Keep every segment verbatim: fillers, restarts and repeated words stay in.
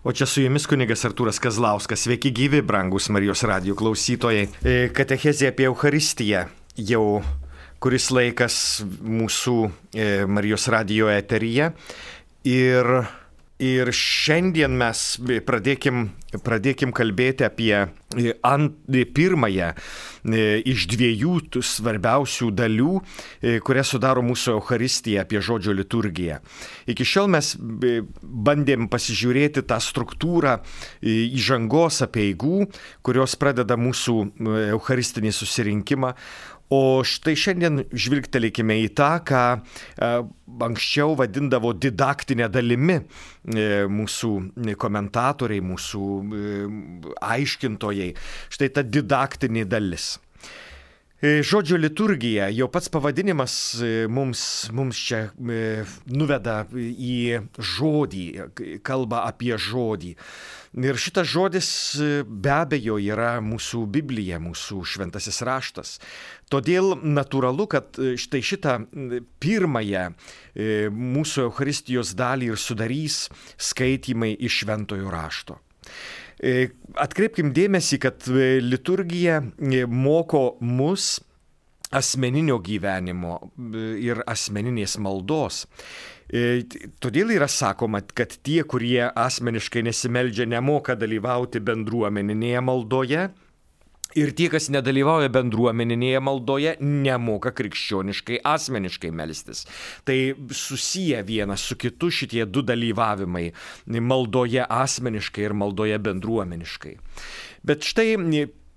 O čia su jumis kunigas Artūras Kazlauskas. Sveiki gyvi, brangus Marijos radijo klausytojai. Katechezė apie Eucharistiją jau kuris laikas mūsų Marijos radijo eteryje. Ir, ir šiandien mes pradėkim, pradėkim kalbėti apie ant, pirmąją iš dviejų svarbiausių dalių, kurias sudaro mūsų Eucharistija, apie žodžio liturgiją. Iki šiol mes bandėm pasižiūrėti tą struktūrą įžangos apeigų, kurios pradeda mūsų eucharistinį susirinkimą. O štai šiandien žvilgtelėkime į tą, ką anksčiau vadindavo didaktinė dalimi mūsų komentatoriai, mūsų aiškintojai. Štai ta didaktinė dalis. Žodžio liturgija, jau pats pavadinimas mums, mums čia nuveda į žodį, kalba apie žodį. Ir šitas žodis be abejo yra mūsų Biblija, mūsų šventasis raštas. Todėl natūralu, kad štai šitą pirmąją mūsų Eucharistijos dalį ir sudarys skaitymai iš šventojo rašto. Atkreipkim dėmesį, kad liturgija moko mus asmeninio gyvenimo ir asmeninės maldos. Todėl yra sakoma, kad tie, kurie asmeniškai nesimeldžia, nemoka dalyvauti bendruomeninėje maldoje. Ir tie, kas nedalyvauja bendruomeninėje maldoje, nemoka krikščioniškai, asmeniškai melstis. Tai susiję vienas su kitu šitie du dalyvavimai maldoje asmeniškai ir maldoje bendruomeniškai. Bet štai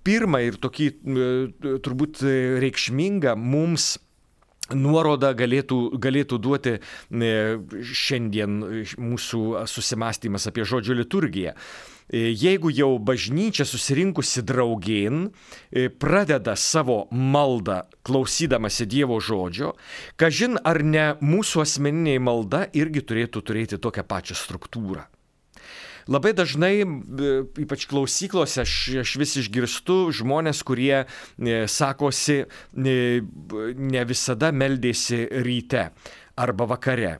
pirmą ir tokį turbūt reikšmingą mums nuorodą galėtų, galėtų duoti šiandien mūsų susimąstymas apie žodžio liturgiją. Jeigu jau bažnyčia susirinkusi draugėn pradeda savo maldą klausydamasi Dievo žodžio, kažin ar ne mūsų asmeninė malda irgi turėtų turėti tokią pačią struktūrą. Labai dažnai, ypač klausyklose, aš, aš vis išgirstu žmonės, kurie sakosi, ne visada meldėsi ryte arba vakare.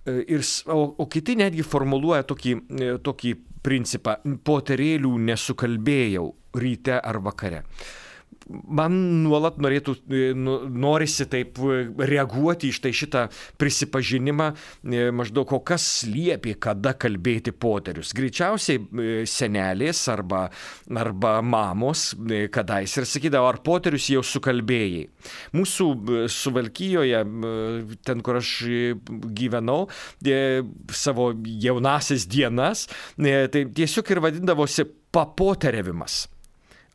Ir, o, o kiti netgi formuluoja tokį, tokį principą: poterėlių nesukalbėjau ryte ar vakare. Man nuolat norėtų, norisi taip reaguoti iš tai šitą prisipažinimą, maždaug o kas liepė, kada kalbėti poterius. Greičiausiai senelės arba, arba mamos kadais ir sakydavo, ar poterius jau sukalbėjai. Mūsų Suvalkijoje, ten kur aš gyvenau, savo jaunasias dienas, tai tiesiog ir vadindavosi papoteriavimas.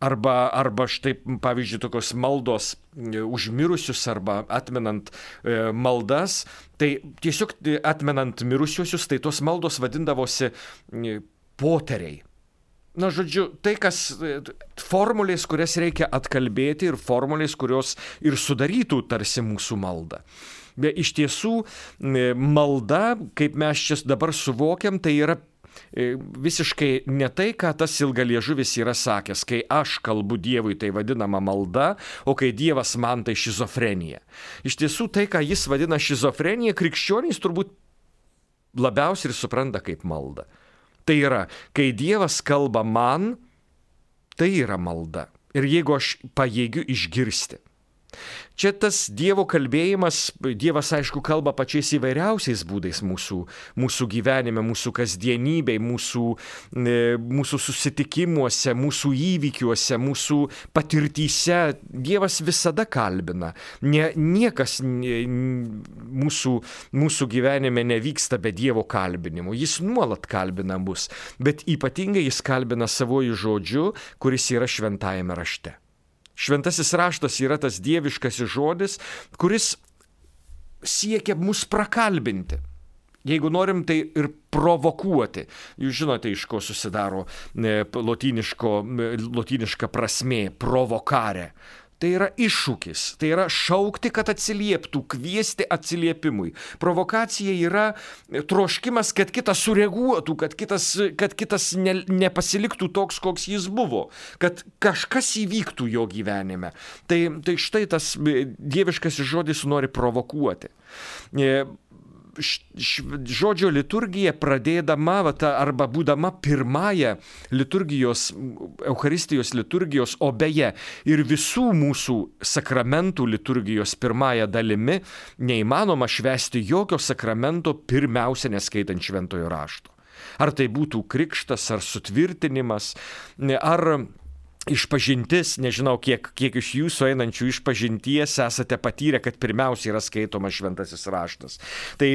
Arba, arba štai, pavyzdžiui, tokios maldos už mirusius arba atmenant e, maldas, tai tiesiog atmenant mirusiuosius, tai tos maldos vadindavosi e, poteriai. Na, žodžiu, tai kas formulės, kurias reikia atkalbėti ir formulės, kurios ir sudarytų tarsi mūsų maldą. Bet iš tiesų malda, kaip mes čia dabar suvokiam, tai yra visiškai ne tai, ką tas ilgaliežuvis yra sakęs, kai aš kalbu Dievui, tai vadinama malda, o kai Dievas man, tai šizofrenija. Iš tiesų, tai, ką jis vadina šizofrenija, krikščionys turbūt labiausiai ir supranta kaip malda. Tai yra, kai Dievas kalba man, tai yra malda. Ir jeigu aš pajėgiu išgirsti. Čia tas Dievo kalbėjimas, Dievas aišku kalba pačiais įvairiausiais būdais mūsų, mūsų gyvenime, mūsų kasdienybėj, mūsų, mūsų susitikimuose, mūsų įvykiuose, mūsų patirtyse. Dievas visada kalbina. Nie, niekas mūsų, mūsų gyvenime nevyksta be Dievo kalbinimo. Jis nuolat kalbina mus, bet ypatingai jis kalbina savojų žodžiu, kuris yra šventajame rašte. Šventasis raštas yra tas dieviškasis žodis, kuris siekia mus prakalbinti. Jeigu norim, tai ir provokuoti. Jūs žinote, iš ko susidaro lotyniška prasmė provokare. Tai yra iššūkis, tai yra šaukti, kad atsilieptų, kviesti atsiliepimui. Provokacija yra troškimas, kad kitas sureaguotų, kad kitas, kad kitas ne, nepasiliktų toks, koks jis buvo, kad kažkas įvyktų jo gyvenime. Tai, tai štai tas dieviškasis žodis nori provokuoti. žodžio liturgija pradėdama va, ta, arba būdama pirmąją liturgijos, Eucharistijos liturgijos, o beje ir visų mūsų sakramentų liturgijos pirmąją dalimi, neįmanoma švęsti jokio sakramento pirmiausia neskaitant šventojo rašto. Ar tai būtų krikštas, ar sutvirtinimas, ar išpažintis, nežinau, kiek, kiek iš jūsų einančių išpažinties esate patyrę, kad pirmiausia yra skaitomas šventasis raštas. Tai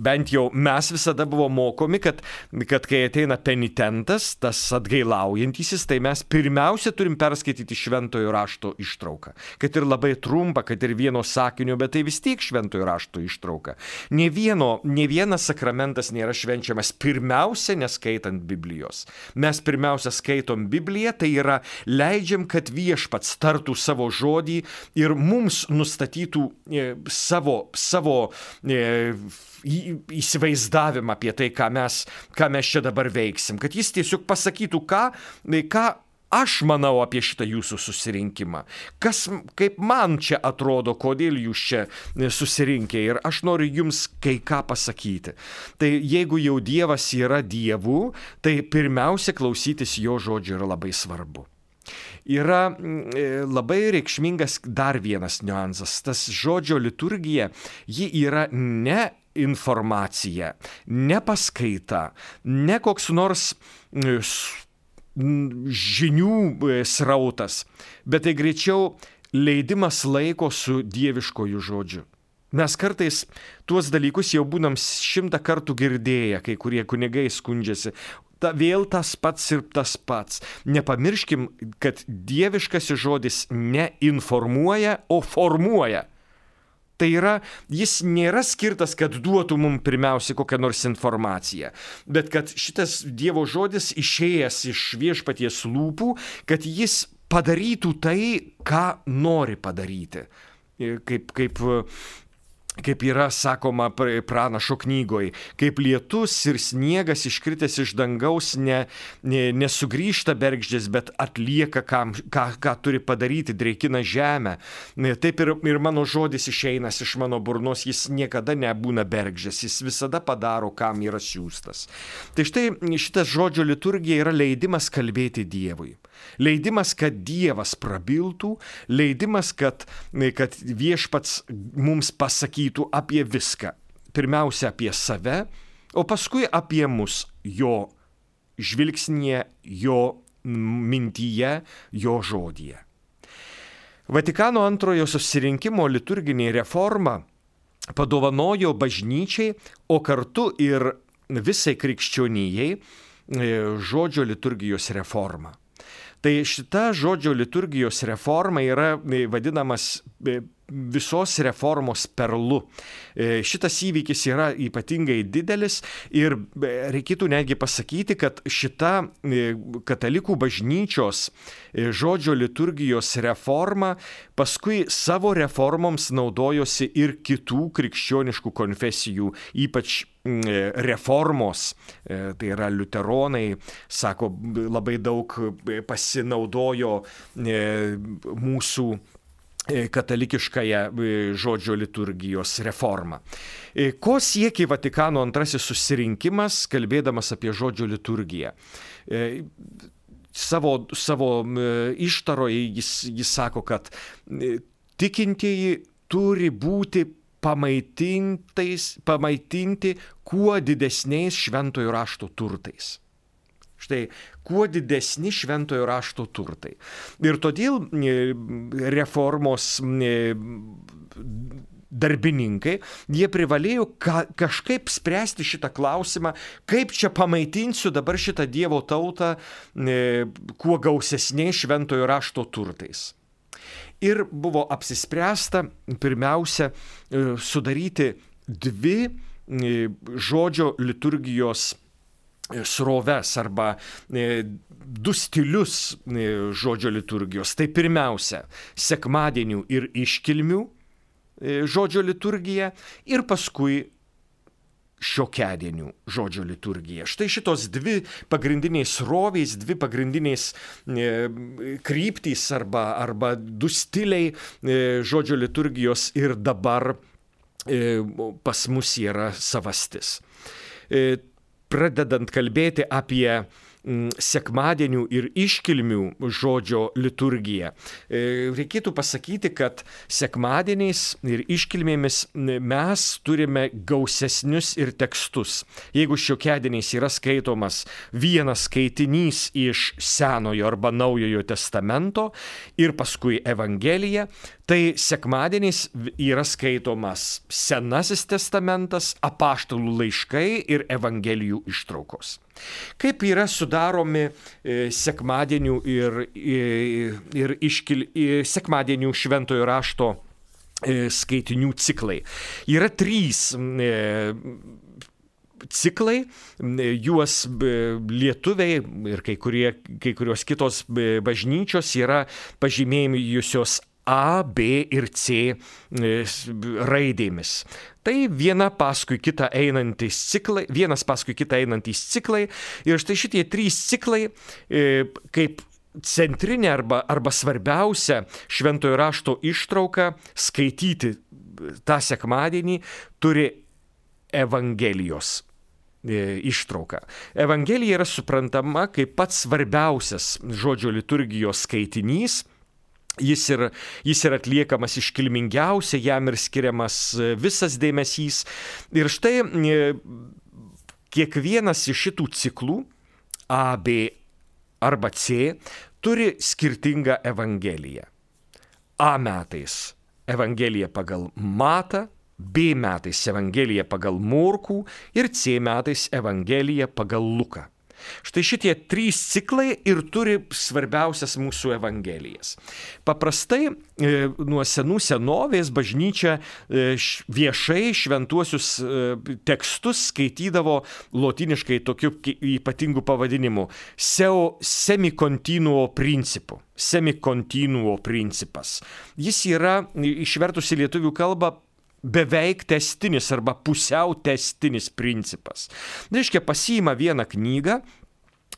bent jau mes visada buvo mokomi, kad, kad kai ateina penitentas, tas atgailaujantysis, tai mes pirmiausia turim perskaityti šventojo rašto ištrauką. Kad ir labai trumpa, kad ir vieno sakinio, bet tai vis tiek šventojo rašto ištrauka. Nė vieno, nė vienas sakramentas nėra švenčiamas pirmiausia neskaitant Biblijos. Mes pirmiausia skaitom Bibliją, tai yra leidžiam, kad viešpats tartų savo žodį ir mums nustatytų e, savo, savo e, įsivaizdavimą apie tai, ką mes, ką mes čia dabar veiksim. Kad jis tiesiog pasakytų, ką, ką aš manau apie šitą jūsų susirinkimą. Kas, kaip man čia atrodo, kodėl jūs čia susirinkę ir aš noriu jums kai ką pasakyti. Tai jeigu jau Dievas yra Dievu, tai pirmiausia klausytis jo žodžio yra labai svarbu. Yra labai reikšmingas dar vienas niuansas. Tas žodžio liturgija, ji yra ne informacija, ne paskaita, ne koks nors žinių srautas, bet tai greičiau leidimas laiko su dieviškoju žodžiu. Mes kartais tuos dalykus jau būnam šimtą kartų girdėję, kai kurie kunigai skundžiasi. Ta, vėl tas pats ir tas pats. Nepamirškim, kad dieviškasis žodis neinformuoja, o formuoja. Tai yra, jis nėra skirtas, kad duotų mums pirmiausia kokią nors informaciją, bet kad šitas Dievo žodis išėjęs iš viešpaties lūpų, kad jis padarytų tai, ką nori padaryti. Kaip, kaip, kaip yra sakoma pranašo knygoj, kaip lietus ir sniegas iškritęs iš dangaus ne, ne, nesugrįžta bergždžias, bet atlieka, kam, ką, ką turi padaryti, dreikina žemę. Taip ir, ir mano žodis išeinas iš mano burnos, jis niekada nebūna bergždžias, jis visada padaro, kam yra siųstas. Tai štai šitas žodžio liturgija yra leidimas kalbėti Dievui. Leidimas, kad Dievas prabiltų, leidimas, kad, kad viešpats mums pasakytų apie viską. Pirmiausia apie save, o paskui apie mus, jo žvilgsnyje, jo mintyje, jo žodyje. Vatikano antrojo susirinkimo liturginė reforma padovanojo bažnyčiai, o kartu ir visai krikščionijai žodžio liturgijos reformą. Tai šita žodžio liturgijos reforma yra vadinamas visos reformos perlu. Šitas įvykis yra ypatingai didelis ir reikėtų netgi pasakyti, kad šita katalikų bažnyčios žodžio liturgijos reforma paskui savo reformoms naudojosi ir kitų krikščioniškų konfesijų, ypač reformos, tai yra liuteronai, sako, labai daug pasinaudojo mūsų katalikiškąją žodžio liturgijos reformą. Ko siekė Vatikano antrasis susirinkimas, kalbėdamas apie žodžio liturgiją? Savo, savo ištaroje jis, jis sako, kad tikintieji turi būti pamaitinti kuo didesniais šventojo rašto turtais. Štai, kuo didesni šventojo rašto turtai. Ir todėl reformos darbininkai, jie privalėjo ka, kažkaip spręsti šitą klausimą, kaip čia pamaitinsiu dabar šitą Dievo tautą e, kuo gausesniais šventojo rašto turtais. Ir buvo apsispręsta pirmiausia sudaryti dvi žodžio liturgijos sroves arba du stilius žodžio liturgijos. Tai pirmiausia, sekmadienių ir iškilmių žodžio liturgija ir paskui šiokiadienių žodžio liturgija. Štai šitos dvi pagrindiniais srovės, dvi pagrindiniais kryptys arba, arba du stiliai žodžio liturgijos ir dabar pas mus yra savastis. Pradedant kalbėti apie sekmadienių ir iškilmių žodžio liturgiją, reikėtų pasakyti, kad sekmadieniais ir iškilmėmis mes turime gausesnius ir tekstus. Jeigu šiokiadieniais yra skaitomas vienas skaitinys iš Senojo arba Naujojo testamento ir paskui Evangelija, tai sekmadieniais yra skaitomas Senasis testamentas, apaštalų laiškai ir Evangelijų ištraukos. Kaip yra sudaromi sekmadienių ir, ir iškil, sekmadienių šventojo rašto skaitinių ciklai? Yra trys ciklai, juos lietuviai ir kai, kurie, kai kurios kitos bažnyčios yra pažymėjusios A, B ir C raidėmis. Tai viena paskui kitą einantys ciklai, vienas paskui kitą einantys ciklai. Ir štai šitie trys ciklai kaip centrinė arba, arba svarbiausia šventojo rašto ištrauka skaityti tą sekmadienį turi Evangelijos ištrauka. Evangelija yra suprantama kaip pats svarbiausias žodžio liturgijos skaitinys. Jis ir, jis ir atliekamas iškilmingiausia, jam ir skiriamas visas dėmesys. Ir štai kiekvienas iš šitų ciklų, A, B arba C, turi skirtingą evangeliją. A metais evangelija pagal Matą, B metais evangelija pagal Morkų ir C metais evangelija pagal Luką. Štai šitie trys ciklai ir turi svarbiausias mūsų evangelijas. Paprastai nuo senų senovės bažnyčia viešai šventuosius tekstus skaitydavo lotyniškai tokiu ypatingu pavadinimu seu semikontinuo principu. Semikontinuo principas. Jis yra išvertus į lietuvių kalbą beveik testinis arba pusiau testinis principas. Reiškia, pasiima vieną knygą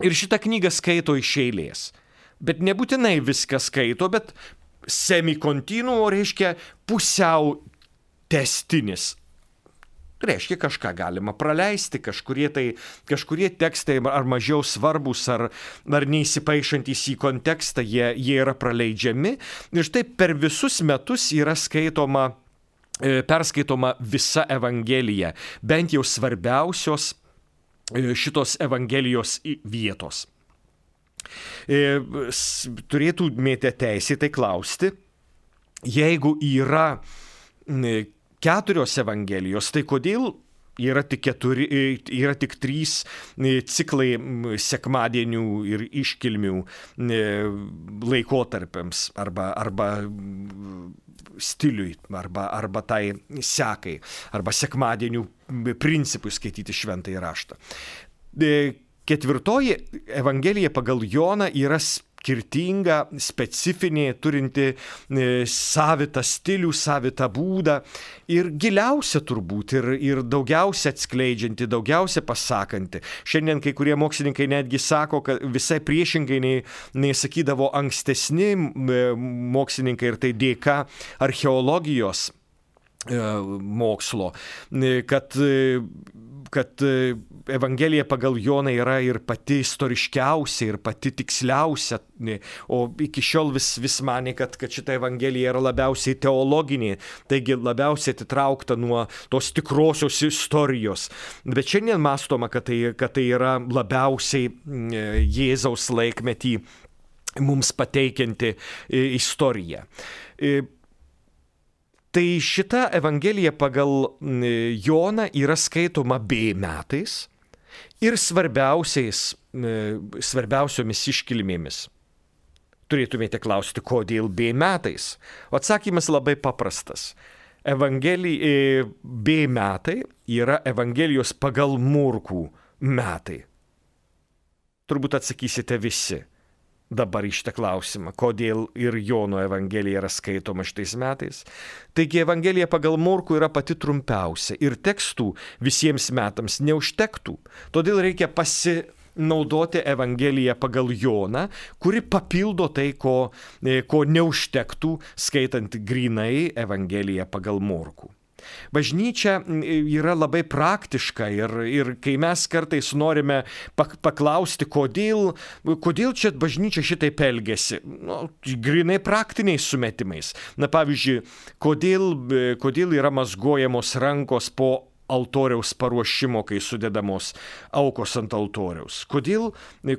ir šitą knygą skaito iš eilės. Bet nebūtinai viską skaito, bet semikontinuo reiškia pusiau testinis. Reiškia, kažką galima praleisti, kažkurie, tai, kažkurie tekstai ar mažiau svarbus, ar, ar neįsipaišantis į kontekstą, jie, jie yra praleidžiami. Ir štai per visus metus yra skaitoma perskaitoma visa Evangelija, bent jau svarbiausios šitos Evangelijos vietos. Turėtumėte teisę tai klausti, jeigu yra keturios Evangelijos, tai kodėl yra tik, keturi, yra tik trys ciklai sekmadienių ir iškilmių laikotarpiams arba, arba stiliui, arba, arba tai sekai, arba sekmadienių principui skaityti šventąjį raštą. Ketvirtoji Evangelija pagal Joną yra skirtinga, specifinė, turinti savitą stilių, savitą būdą ir giliausia turbūt, ir, ir daugiausia atskleidžianti, daugiausia pasakanti. Šiandien kai kurie mokslininkai netgi sako, kad visai priešingai nei, nei sakydavo ankstesni mokslininkai, ir tai dėka archeologijos mokslo, kad, kad Evangelija pagal Joną yra ir pati istoriškiausia, ir pati tiksliausia, o iki šiol vis, vis manė, kad, kad šita Evangelija yra labiausiai teologinė, taigi labiausiai atitraukta nuo tos tikrosios istorijos. Bet šiandien mąstoma, kad tai, kad tai yra labiausiai Jėzaus laikmetį mums pateikianti istorija. Tai šita Evangelija pagal Joną yra skaitoma B metais ir svarbiausiais, svarbiausiomis iškilmėmis. Turėtumėte klausti, kodėl B metais? O atsakymas labai paprastas. Evangelija, B metai yra Evangelijos pagal Morkų metai. Turbūt atsakysite visi dabar iš tą klausimą, kodėl ir Jono Evangelija yra skaitoma šitais metais. Taigi Evangelija pagal Morkų yra pati trumpiausia ir tekstų visiems metams neužtektų. Todėl reikia pasinaudoti Evangeliją pagal Joną, kuri papildo tai, ko, ko neužtektų skaitant grynai Evangeliją pagal Morkų. Bažnyčia yra labai praktiška ir, ir kai mes kartais norime paklausti, kodėl, kodėl čia bažnyčia šitaip elgiasi, nu, grinai praktiniais sumetimais. Na pavyzdžiui, kodėl, kodėl yra mazgojamos rankos po altoriaus paruošimo, kai sudedamos aukos ant altoriaus. Kodėl,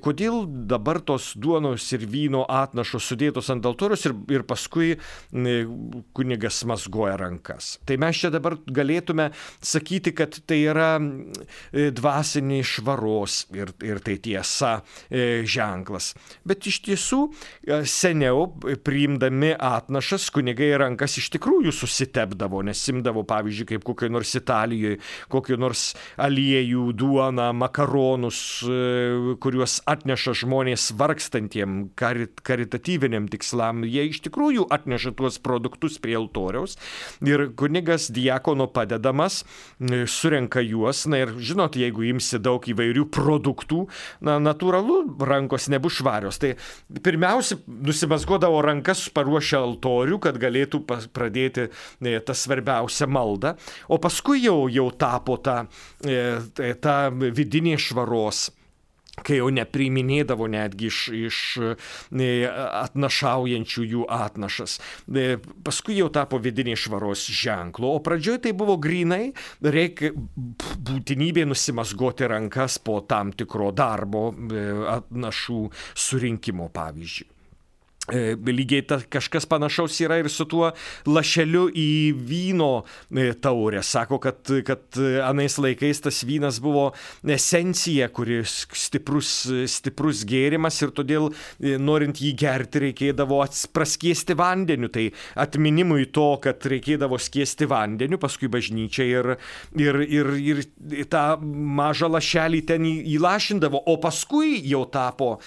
kodėl dabar tos duonos ir vyno atnašos sudėtos ant altoriaus ir, ir paskui kunigas mazgoja rankas. Tai mes čia dabar galėtume sakyti, kad tai yra dvasinės švaros ir, ir tai tiesa ženklas. Bet iš tiesų seniau priimdami atnašas kunigai rankas iš tikrųjų susitepdavo, nes imdavo, pavyzdžiui, kaip kokioj nors Italijoje, kokį nors aliejų, duoną, makaronus, kuriuos atneša žmonės vargstantiem karit, karitatyviniam tikslam. Jie iš tikrųjų atneša tuos produktus prie altoriaus ir kunigas diakono padedamas surenka juos. Na ir žinot, jeigu imsi daug įvairių produktų, na, natūralu, rankos nebus švarios. Tai pirmiausia, nusimazgodavo rankas paruošę altorių, kad galėtų pradėti tą svarbiausią maldą, o paskui jau, jau tapo ta, ta vidinė švaros, kai jau nepriiminėdavo netgi iš, iš atnašaujančių jų atnašas. Paskui jau tapo vidinė švaros ženklu, o pradžioje tai buvo grinai, reikia būtinybė nusimazgoti rankas po tam tikro darbo atnašų surinkimo, pavyzdžiui. Lygiai ta, kažkas panašaus yra ir su tuo lašeliu į vyno taurę. Sako, kad, kad anais laikais tas vynas buvo esencija, kuris stiprus, stiprus gėrimas ir todėl norint jį gerti reikėdavo praskiesti vandeniu. Tai atminimui to, kad reikėdavo skiesti vandeniu, paskui bažnyčia ir, ir, ir, ir tą mažą lašelį ten įlašindavo, o paskui jau tapo,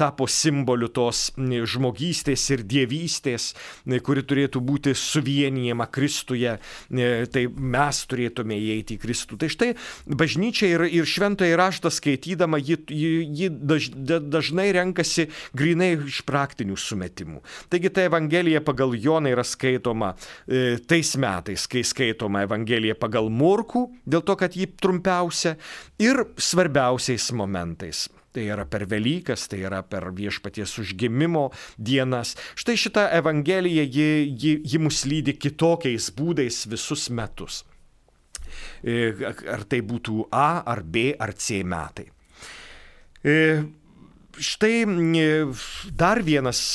tapo simboliu tos žmogystės ir dievystės, kuri turėtų būti suvienijama Kristuje, tai mes turėtume įeiti į Kristų. Tai štai bažnyčia ir, ir šventąjį raštą skaitydama, ji, ji daž, dažnai renkasi grinai iš praktinių sumetimų. Taigi ta Evangelija pagal Joną yra skaitoma e, tais metais, kai skaitoma Evangelija pagal Morkų, dėl to, kad ji trumpiausia, ir svarbiausiais momentais. Tai yra per Velykas, tai yra per Viešpaties užgimimo dienas. Štai šita Evangelija, ji, ji, ji mus lydi kitokiais būdais visus metus. Ar tai būtų A, ar B, ar C metai. Štai dar vienas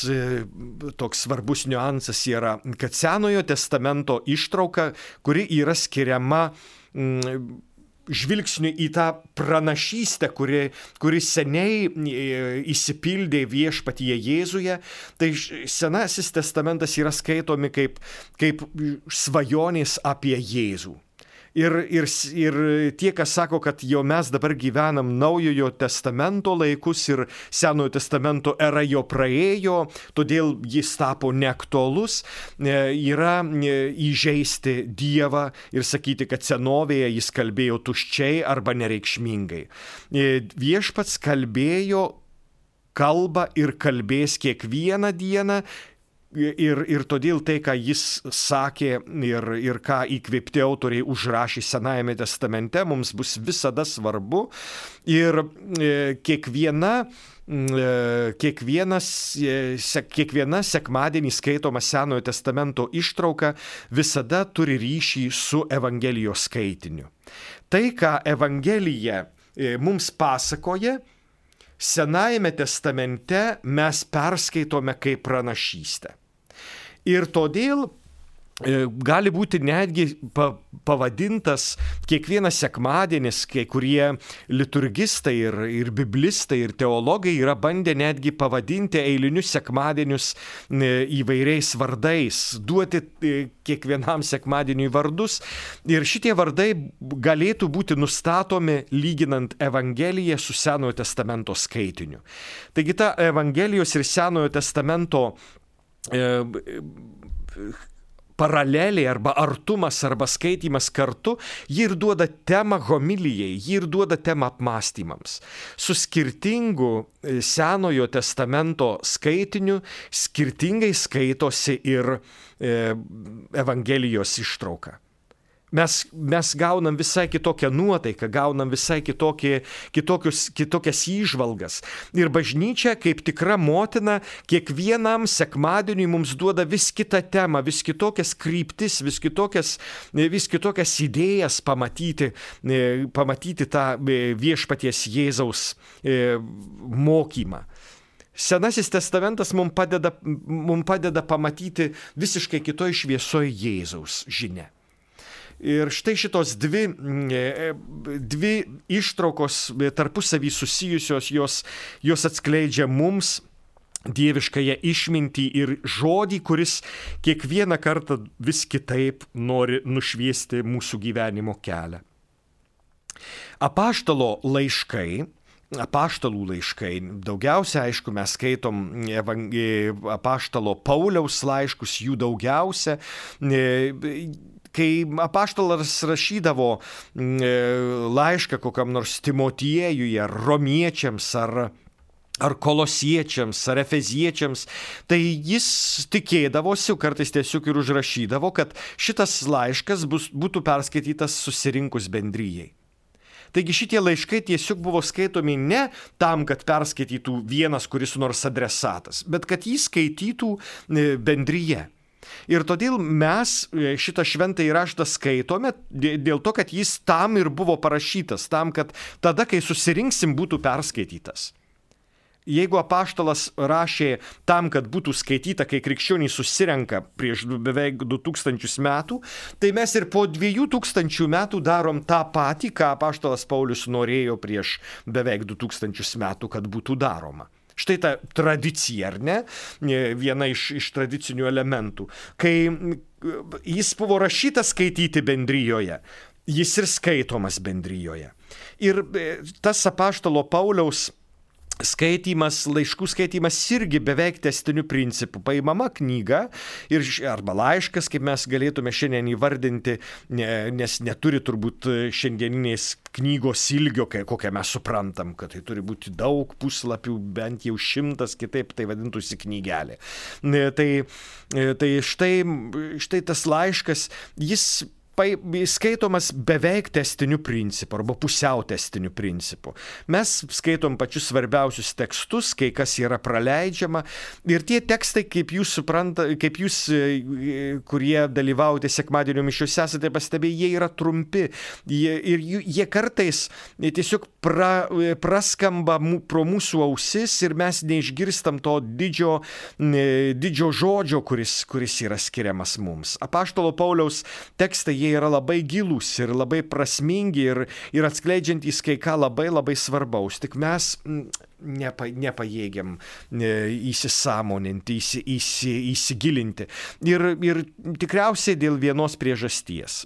toks svarbus niuansas yra, kad Senojo testamento ištrauka, kuri yra skiriama žvilgsniu į tą pranašystę, kuri, kuri seniai įsipildė viešpatyje Jėzuje, tai Senasis testamentas yra skaitomi kaip, kaip svajonės apie Jėzų. Ir, ir, ir tie, kas sako, kad jau mes dabar gyvenam Naujojo testamento laikus ir Senojo testamento era jo praėjo, todėl jis tapo neaktualus, yra įžeisti Dievą ir sakyti, kad senovėje jis kalbėjo tuščiai arba nereikšmingai. Viešpats kalbėjo kalbą ir kalbės kiekvieną dieną. Ir, ir todėl tai, ką jis sakė ir, ir ką įkvėpti autoriai užrašė Senajame testamente, mums bus visada svarbu. Ir e, kiekviena, e, kiekvienas, e, kiekviena sekmadienį skaitoma Senojo testamento ištrauka visada turi ryšį su Evangelijos skaitiniu. Tai, ką Evangelija e, mums pasakoja, Senajame testamente mes perskaitome kaip pranašystę. Ir todėl gali būti netgi pavadintas kiekvienas sekmadienis, kai kurie liturgistai ir, ir biblistai ir teologai yra bandę netgi pavadinti eilinius sekmadienius įvairiais vardais, duoti kiekvienam sekmadieniui vardus. Ir šitie vardai galėtų būti nustatomi lyginant Evangeliją su Senojo testamento skaitiniu. Taigi ta Evangelijos ir Senojo testamento e, paralelė arba artumas arba skaitymas kartu, ji ir duoda temą homilijai, ji ir duoda temą apmąstymams. Su skirtingu Senojo testamento skaitiniu skirtingai skaitosi ir e, Evangelijos ištrauka. Mes, mes gaunam visai kitokią nuotaiką, gaunam visai kitokį, kitokius, kitokias įžvalgas. Ir bažnyčia, kaip tikra motina, kiekvienam sekmadieniui mums duoda vis kitą temą, vis kitokias kryptis, vis kitokias, vis kitokias idėjas pamatyti, pamatyti tą viešpaties Jėzaus mokymą. Senasis testamentas mums padeda, mums padeda pamatyti visiškai kitoj šviesoj Jėzaus žinią. Ir štai šitos dvi, dvi ištraukos tarpusavį susijusios, jos, jos atskleidžia mums dieviškąją išmintį ir žodį, kuris kiekvieną kartą vis kitaip nori nušviesti mūsų gyvenimo kelią. Apaštalo laiškai, apaštalų laiškai, daugiausia, aišku, mes skaitom apaštalo Pauliaus laiškus, jų daugiausia. Kai apaštalas rašydavo laišką kokiam nors Timotiejui, ar romiečiams, ar, ar kolosiečiams, ar efeziečiams, tai jis tikėdavosi, kartais tiesiog ir užrašydavo, kad šitas laiškas bus, būtų perskaitytas susirinkus bendrijai. Taigi šitie laiškai tiesiog buvo skaitomi ne tam, kad perskaitytų vienas kuris nors adresatas, bet kad jį skaitytų bendryje. Ir todėl mes šitą šventąjį raštą skaitome dėl to, kad jis tam ir buvo parašytas, tam, kad tada, kai susirinksim, būtų perskaitytas. Jeigu apaštalas rašė tam, kad būtų skaityta, kai krikščionys susirenka prieš beveik du tūkstančius metų, tai mes ir po dviejų tūkstančių metų darom tą patį, ką apaštalas Paulius norėjo prieš beveik du tūkstančius metų, kad būtų daroma. Štai ta tradicija, ar ne? Viena iš, iš tradicinių elementų. Kai jis buvo rašytas skaityti bendrijoje, jis ir skaitomas bendrijoje. Ir tas apaštalo Pauliaus skaitymas, laiškų skaitymas irgi beveik tęstiniu principu. Paimama knyga ir, arba laiškas, kaip mes galėtume šiandien įvardinti, nes neturi turbūt šiandieninės knygos ilgio, kokią mes suprantam, kad tai turi būti daug puslapių, bent jau šimtas, kitaip tai vadintųsi knygelė. Tai, tai štai, štai tas laiškas, jis skaitomas beveik tęstiniu principu arba pusiau tęstiniu principu. Mes skaitom pačius svarbiausius tekstus, kai kas yra praleidžiama ir tie tekstai, kaip jūs supranta, kaip jūs, kurie dalyvaujate sekmadienio mišiose, esate pastebėję, jie yra trumpi jie, ir jie kartais tiesiog pra, praskamba pro mūsų ausis ir mes neišgirstam to didžio, didžio žodžio, kuris, kuris yra skiriamas mums. Apaštalo Pauliaus tekstai jie yra labai gilūs ir labai prasmingi ir, ir atskleidžiantys kai ką labai labai svarbaus. Tik mes nepa, nepajėgiam įsisąmoninti, įsi, įsi, įsigilinti. Ir, ir tikriausiai dėl vienos priežasties.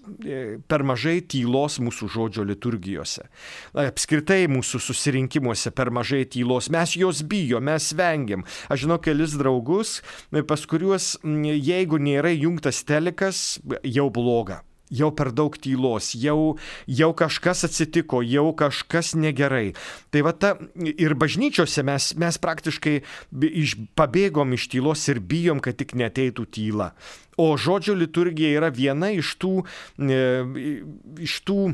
Per mažai tylos mūsų žodžio liturgijose. Apskritai mūsų susirinkimuose per mažai tylos. Mes jos bijom, mes vengiam. Aš žinau kelis draugus, pas kuriuos jeigu nėra jungtas telikas, jau bloga. Jau per daug tylos, jau, jau kažkas atsitiko, jau kažkas negerai. Tai va ta, ir bažnyčiose mes, mes praktiškai iš, pabėgom iš tylos ir bijom, kad tik neateitų tyla. O žodžio liturgija yra viena iš tų, e, iš tų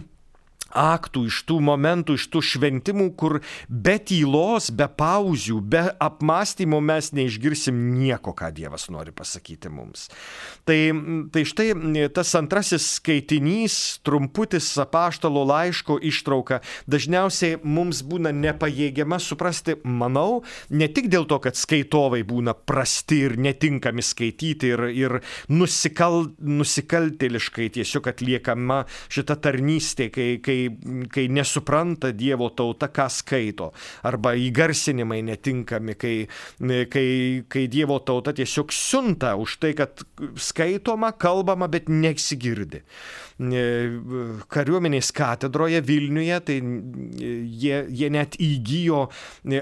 aktų, iš tų momentų, iš tų šventimų, kur be tylos, be pauzių, be apmąstymo mes neišgirsim nieko, ką Dievas nori pasakyti mums. Tai, tai štai tas antrasis skaitinys, trumputis apaštalo laiško ištrauka, dažniausiai mums būna nepajėgiama suprasti, manau, ne tik dėl to, kad skaitovai būna prasti ir netinkami skaityti ir, ir nusikal, nusikaltėliškai tiesiog atliekama šita tarnystė, kai, kai kai nesupranta Dievo tauta, ką skaito, arba įgarsinimai netinkami, kai, kai, kai Dievo tauta tiesiog siunta už tai, kad skaitoma, kalbama, bet nesigirdi. Kariuomenės katedroje Vilniuje, tai jie, jie net įgijo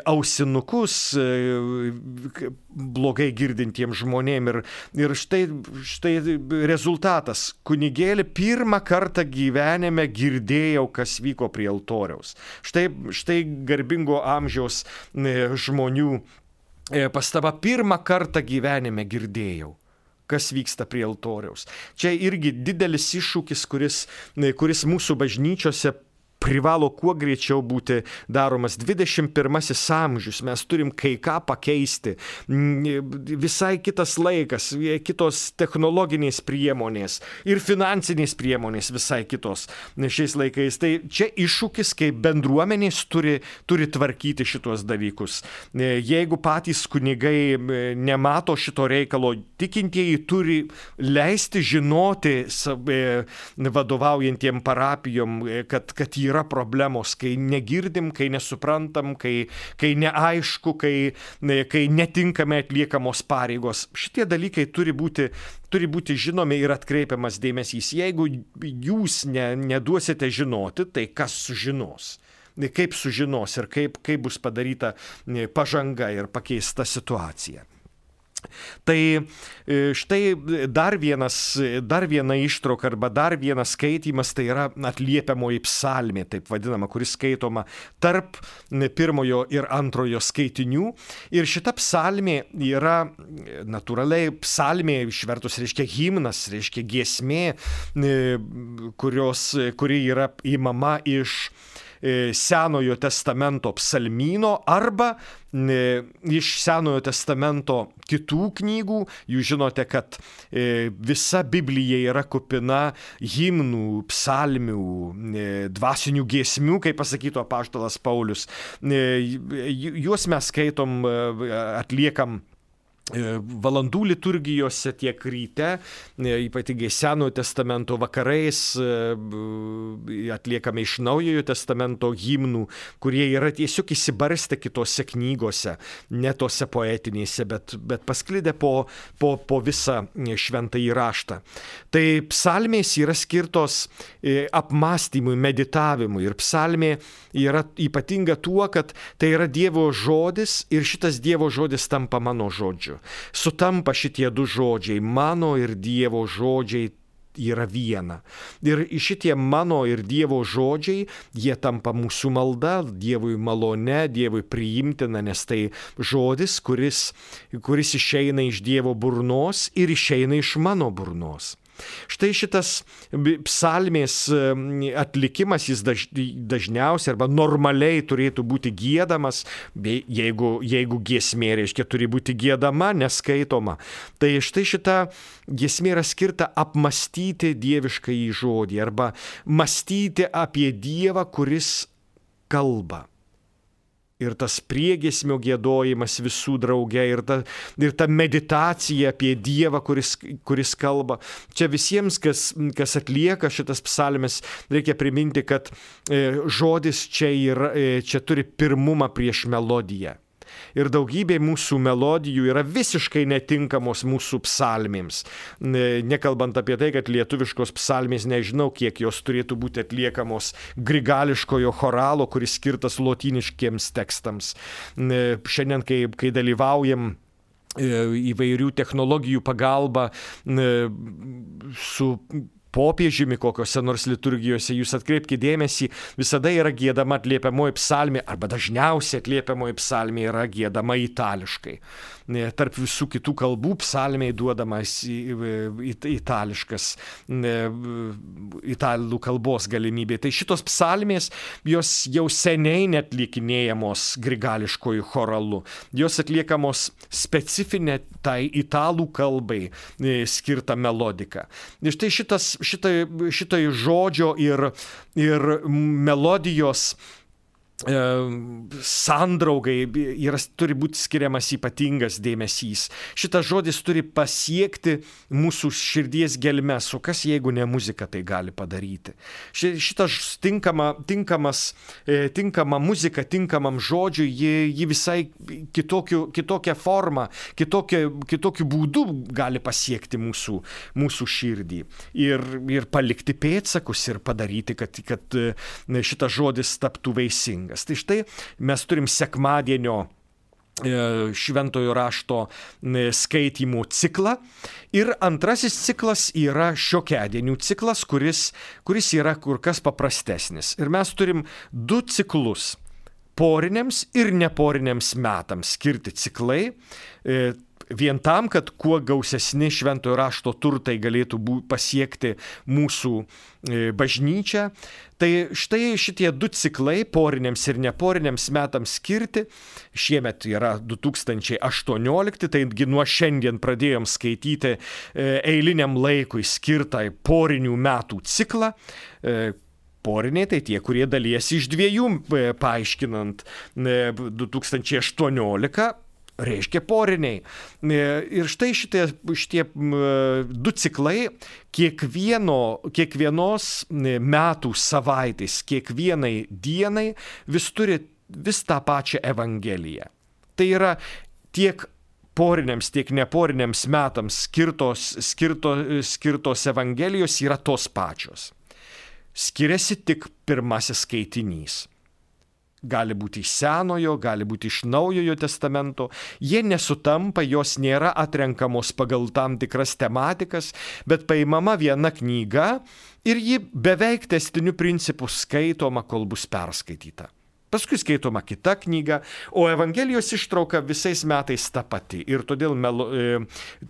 ausinukus blogai girdintiems žmonėm ir, ir štai, štai rezultatas. Kunigėlį pirmą kartą gyvenime girdėjau, kas vyko prie altoriaus. Štai, štai garbingo amžiaus žmonių pastaba, pirmą kartą gyvenime girdėjau. kas vyksta prie altoriaus. Čia irgi didelis iššūkis, kuris, kuris mūsų bažnyčiose privalo kuo greičiau būti daromas. dvidešimt pirmasis amžius, mes turim kai ką pakeisti. Visai kitas laikas, kitos technologinės priemonės ir finansinės priemonės visai kitos šiais laikais. Tai čia iššūkis, kai bendruomenės turi, turi tvarkyti šitos dalykus. Jeigu patys kunigai nemato šito reikalo, tikintieji turi leisti žinoti vadovaujantiem parapijom, kad, kad yra problemos, kai negirdim, kai nesuprantam, kai, kai neaišku, kai, kai netinkamai atliekamos pareigos. Šitie dalykai turi būti, turi būti žinomi ir atkreipiamas dėmesys. Jeigu jūs ne, neduosite žinoti, tai kas sužinos? Kaip sužinos ir kaip, kaip bus padaryta pažanga ir pakeista situacija. Tai štai dar, vienas, dar viena ištrauka arba dar vienas skaitymas, tai yra atliepiamoji psalmė, taip vadinama, kuris skaitoma tarp pirmojo ir antrojo skaitinių. Ir šita psalmė yra natūraliai psalmė, išvertus reiškia himnas, reiškia giesmė, kurios, kuri yra įmama iš Senojo testamento psalmyno arba iš Senojo testamento kitų knygų. Jūs žinote, kad visa Biblija yra kupina himnų, psalmių, dvasinių giesmių, kaip pasakytų apaštalas Paulius. Juos mes skaitom, atliekam valandų liturgijose tiek ryte, ypatingai Senojo testamento vakarais atliekame iš Naujojo testamento himnų, kurie yra tiesiog įsibarstę kitose knygose, ne tose poetinėse, bet, bet pasklidę po, po, po visą šventąjį raštą. Tai psalmės yra skirtos apmąstymui, meditavimui, ir psalmė yra ypatinga tuo, kad tai yra Dievo žodis ir šitas Dievo žodis tampa mano žodžiu. Sutampa šitie du žodžiai, mano ir Dievo žodžiai yra viena. Ir šitie mano ir Dievo žodžiai, jie tampa mūsų malda, Dievui malone, Dievui priimtina, nes tai žodis, kuris, kuris išeina iš Dievo burnos ir išeina iš mano burnos. Štai šitas psalmės atlikimas, jis daž, dažniausiai arba normaliai turėtų būti giedamas, jeigu, jeigu giesmė, reiškia, turi būti giedama, neskaitoma. Tai štai šita giesmė yra skirta apmastyti dieviškąjį žodį arba mąstyti apie Dievą, kuris kalba. Ir tas priegiesmio giedojimas visų drauge, ir ta, ir ta meditacija apie Dievą, kuris, kuris kalba. Čia visiems, kas, kas atlieka šitas psalmes, reikia priminti, kad e, žodis čia, yra, e, čia turi pirmumą prieš melodiją. Ir daugybė mūsų melodijų yra visiškai netinkamos mūsų psalmėms. Nekalbant apie tai, kad lietuviškos psalmės, nežinau, kiek jos turėtų būti atliekamos grigališkojo choralo, kuris skirtas lotyniškiems tekstams. Šiandien, kai, kai dalyvaujam įvairių technologijų pagalba su popiežiumi kokiose nors liturgijose, jūs atkreipkite dėmesį, visada yra giedama atliepiamoji psalmė, arba dažniausiai atliepiamoji psalmė yra giedama itališkai. Tarp visų kitų kalbų psalmei duodamas itališkas, italų kalbos galimybė. Tai šitos psalmės, jos jau seniai netlikinėjamos grigališkojų choralu. Jos atliekamos specifinė tai italų kalbai skirta melodika. Ir štai šitas Šitai, šitai žodžio ir, ir melodijos e, sandraugai yra, turi būti skiriamas ypatingas dėmesys. Šitas žodis turi pasiekti mūsų širdies gelmes, o kas jeigu ne muzika tai gali padaryti. Šitas tinkama, tinkamas, e, tinkama muzika, tinkamam žodžiui, ji, ji visai kitokiu, kitokią formą, kitokiu, kitokiu būdu gali pasiekti mūsų, mūsų širdį ir, ir palikti pėdsakus ir padaryti, kad, kad šitas žodis taptų vaisingas. Tai štai mes turim sekmadienio šventojo rašto skaitymų ciklą. Ir antrasis ciklas yra šiokiadienių ciklas, kuris, kuris yra kur kas paprastesnis. Ir mes turim du ciklus. Poriniams ir neporiniams metams skirti ciklai. vien tam, kad kuo gausesni šventojo rašto turtai galėtų bū, pasiekti mūsų bažnyčią. Tai štai šitie du ciklai, poriniams ir neporiniams metams skirti, šiemet yra du tūkstančiai aštuoniolikti, taigi nuo šiandien pradėjom skaityti eiliniam laikui skirtą porinių metų ciklą. Poriniai tai tie, kurie dalijasi iš dviejų, paaiškinant du tūkstančiai aštuoniolika. Reiškia poriniai. Ir štai šitie, šitie du ciklai kiekvieno, kiekvienos metų savaitės, kiekvienai dienai vis turi vis tą pačią evangeliją. Tai yra tiek poriniams, tiek neporiniams metams skirtos, skirto, skirtos evangelijos yra tos pačios. Skiriasi tik pirmasis skaitinys. Gali būti iš Senojo, gali būti iš Naujojo testamento. Jie nesutampa, jos nėra atrenkamos pagal tam tikras tematikas, bet paimama viena knyga ir ji beveik tęstiniu principu skaitoma, kol bus perskaityta. Paskui skaitoma kita knyga, o Evangelijos ištrauka visais metais ta pati ir todėl melo, e,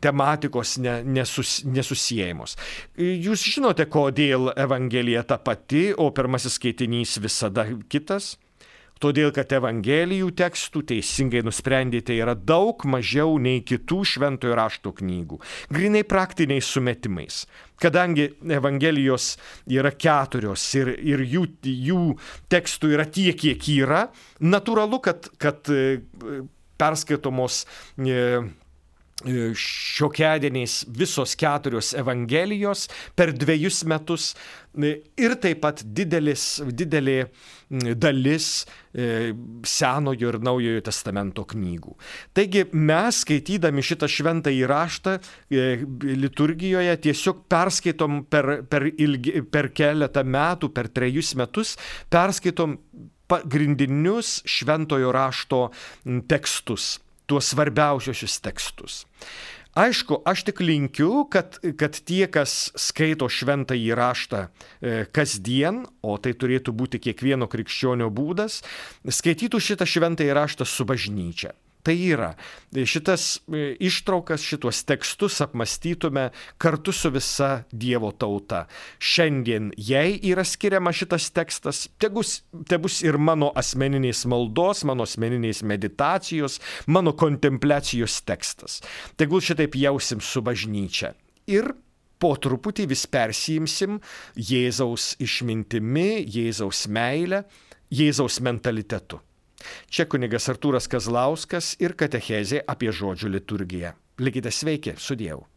tematikos ne, nesus, nesusiejamos. Jūs žinote, kodėl Evangelija ta pati, o pirmasis skaitinys visada kitas? Todėl, kad Evangelijų tekstų, teisingai nusprendėte, yra daug mažiau nei kitų šventojo rašto knygų. Grinai praktiniais sumetimais. Kadangi Evangelijos yra keturios ir, ir jų, jų tekstų yra tiek, kiek yra, natūralu, kad, kad perskaitomos šiokiadieniais visos keturios Evangelijos per dviejus metus ir taip pat didelis, didelė dalis Senojo ir Naujojo testamento knygų. Taigi mes, skaitydami šitą šventąjį raštą liturgijoje, tiesiog perskaitom per, per, ilgi, per keletą metų, per trejus metus, perskaitom pagrindinius šventojo rašto tekstus, tuos svarbiausius tekstus. Aišku, aš tik linkiu, kad, kad tie, kas skaito šventąjį raštą e, kasdien, o tai turėtų būti kiekvieno krikščionio būdas, skaitytų šitą šventąjį raštą su bažnyčia. Tai yra, šitas ištraukas, šitos tekstus apmąstytume kartu su visa Dievo tauta. Šiandien jai yra skiriama šitas tekstas, tegus, tebus ir mano asmeninės maldos, mano asmeninės meditacijos, mano kontempliacijos tekstas. Tegul šitaip jausim su bažnyčia. Ir po truputį vis persijimsim Jėzaus išmintimi, Jėzaus meile, Jėzaus mentalitetu. Čia kunigas Artūras Kazlauskas ir katechezė apie žodžių liturgiją. Likite sveiki, su Dievu.